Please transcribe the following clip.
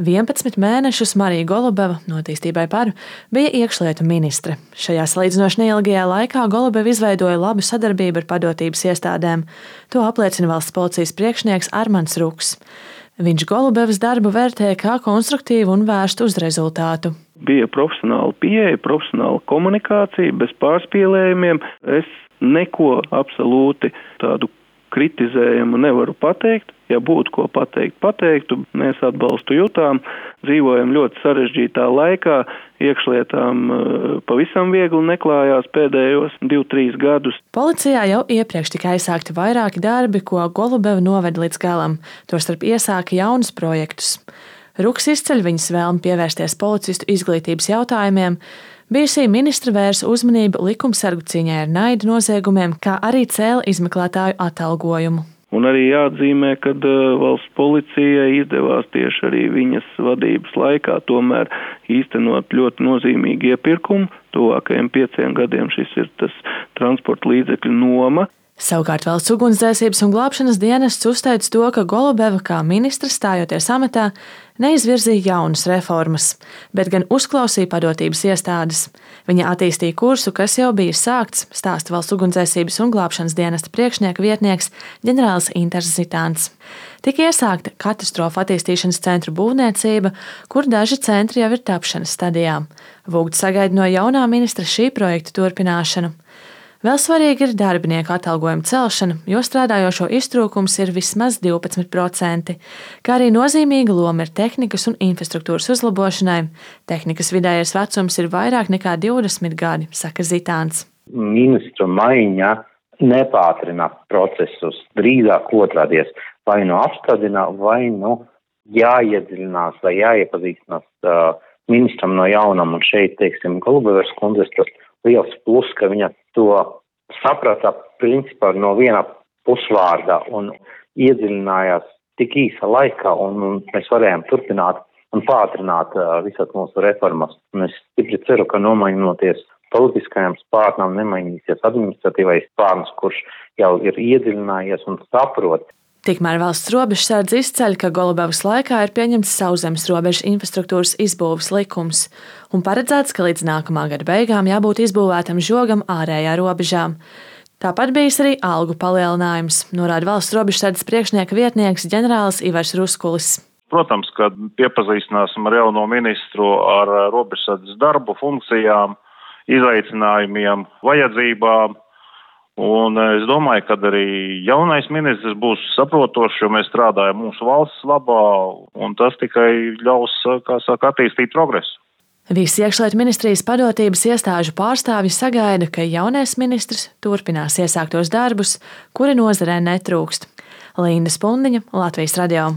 11 mēnešus Marija Golubeva, notīstībai par, bija iekšlietu ministre. Šajā salīdzinoši neilgajā laikā Golubeva izveidoja labu sadarbību ar padotības iestādēm. To apliecina valsts policijas priekšnieks Armands Ruks. Viņš Golubevas darbu vērtēja kā konstruktīvu un vērstu uz rezultātu. Bija profesionāla pieeja, profesionāla komunikācija, bez pārspīlējumiem. Es neko absolūti tādu kritizējumu nevaru pateikt. Ja būtu ko pateiktu, mēs atbalstu jutām. Dzīvojam ļoti sarežģītā laikā, iekšlietām pavisam viegli neklājās pēdējos 2-3 gadus. Policijā jau iepriekš tika aizsākti vairāki darbi, ko Golubeva noveda līdz galam, tostarp iesāka jaunus projektus. Ruks izceļ viņas vēlmi pievērsties policistu izglītības jautājumiem. Bijusī ministre vērsa uzmanību likumsargu cīņai ar naida noziegumiem, kā arī cēla izmeklētāju atalgojumu. Un arī jāatzīmē, ka valsts policijai izdevās tieši arī viņas vadības laikā tomēr īstenot ļoti nozīmīgu iepirkumu. Tuvākajiem 5 gadiem šis ir tas transporta līdzekļu noma. Savukārt valsts ugunsdzēsības un glābšanas dienests uzteica to, ka Golubeva kā ministre stājoties amatā neizvirzīja jaunas reformas, bet gan uzklausīja padotības iestādes. Viņa attīstīja kursu, kas jau bija sākts, stāsta valsts ugunsdzēsības un glābšanas dienesta priekšnieka vietnieks ģenerālis Inters Zitāns. Tika iesākta katastrofu attīstīšanas centru būvniecība, kur daži centri jau ir tapšanas stadijā. Vūgts sagaida no jaunā ministra šī projekta turpināšanu. Vēl svarīgi ir darbinieku atalgojuma celšana, jo strādājošo iztrūkums ir vismaz 12%, kā arī nozīmīga loma ir tehnikas un infrastruktūras uzlabošanai. Tehnikas vidējais vecums ir vairāk nekā 20 gadi, saka Zitāns. Ministru maiņa nepātrina procesus, drīzāk otrādies, vai nu apstādina, vai nu jāiedziļinās vai jāiepazīstinās ministram no jaunam, un šeit, teiksim, Golubevas kundzes tas liels plus, ka viņa to saprata principā no viena pusvārda un iedziļinājās tik īsa laikā, un mēs varējām turpināt un pātrināt visas mūsu reformas. Un es stipri ceru, ka nomainoties politiskajam spārnam nemainīsies administratīvais spārns, kurš jau ir iedziļinājies un saprot. Tikmēr valsts robežsardze izceļ, ka Golubevas laikā ir pieņemts sauszemes robežas infrastruktūras izbūves likums un paredzēts, ka līdz nākamā gada beigām jābūt izbūvētam žogam ārējā robežā. Tāpat bijis arī algu palielinājums, norāda valsts robežsardzes priekšnieka vietnieks ģenerālis Ivars Ruskulis. Protams, kad iepazīstināsim ar jauno ministru ar robežsardzes darbu, funkcijām, izaicinājumiem, vajadzībām. Un es domāju, ka arī jaunais ministrs būs saprotošs, jo mēs strādājam mūsu valsts labā, un tas tikai ļaus, attīstīt progresu. Visi iekšlietu ministrijas padotības iestāžu pārstāvji sagaida, ka jaunais ministrs turpinās iesāktos darbus, kuri nozarē netrūkst. Linda Spundiņa, Latvijas radio.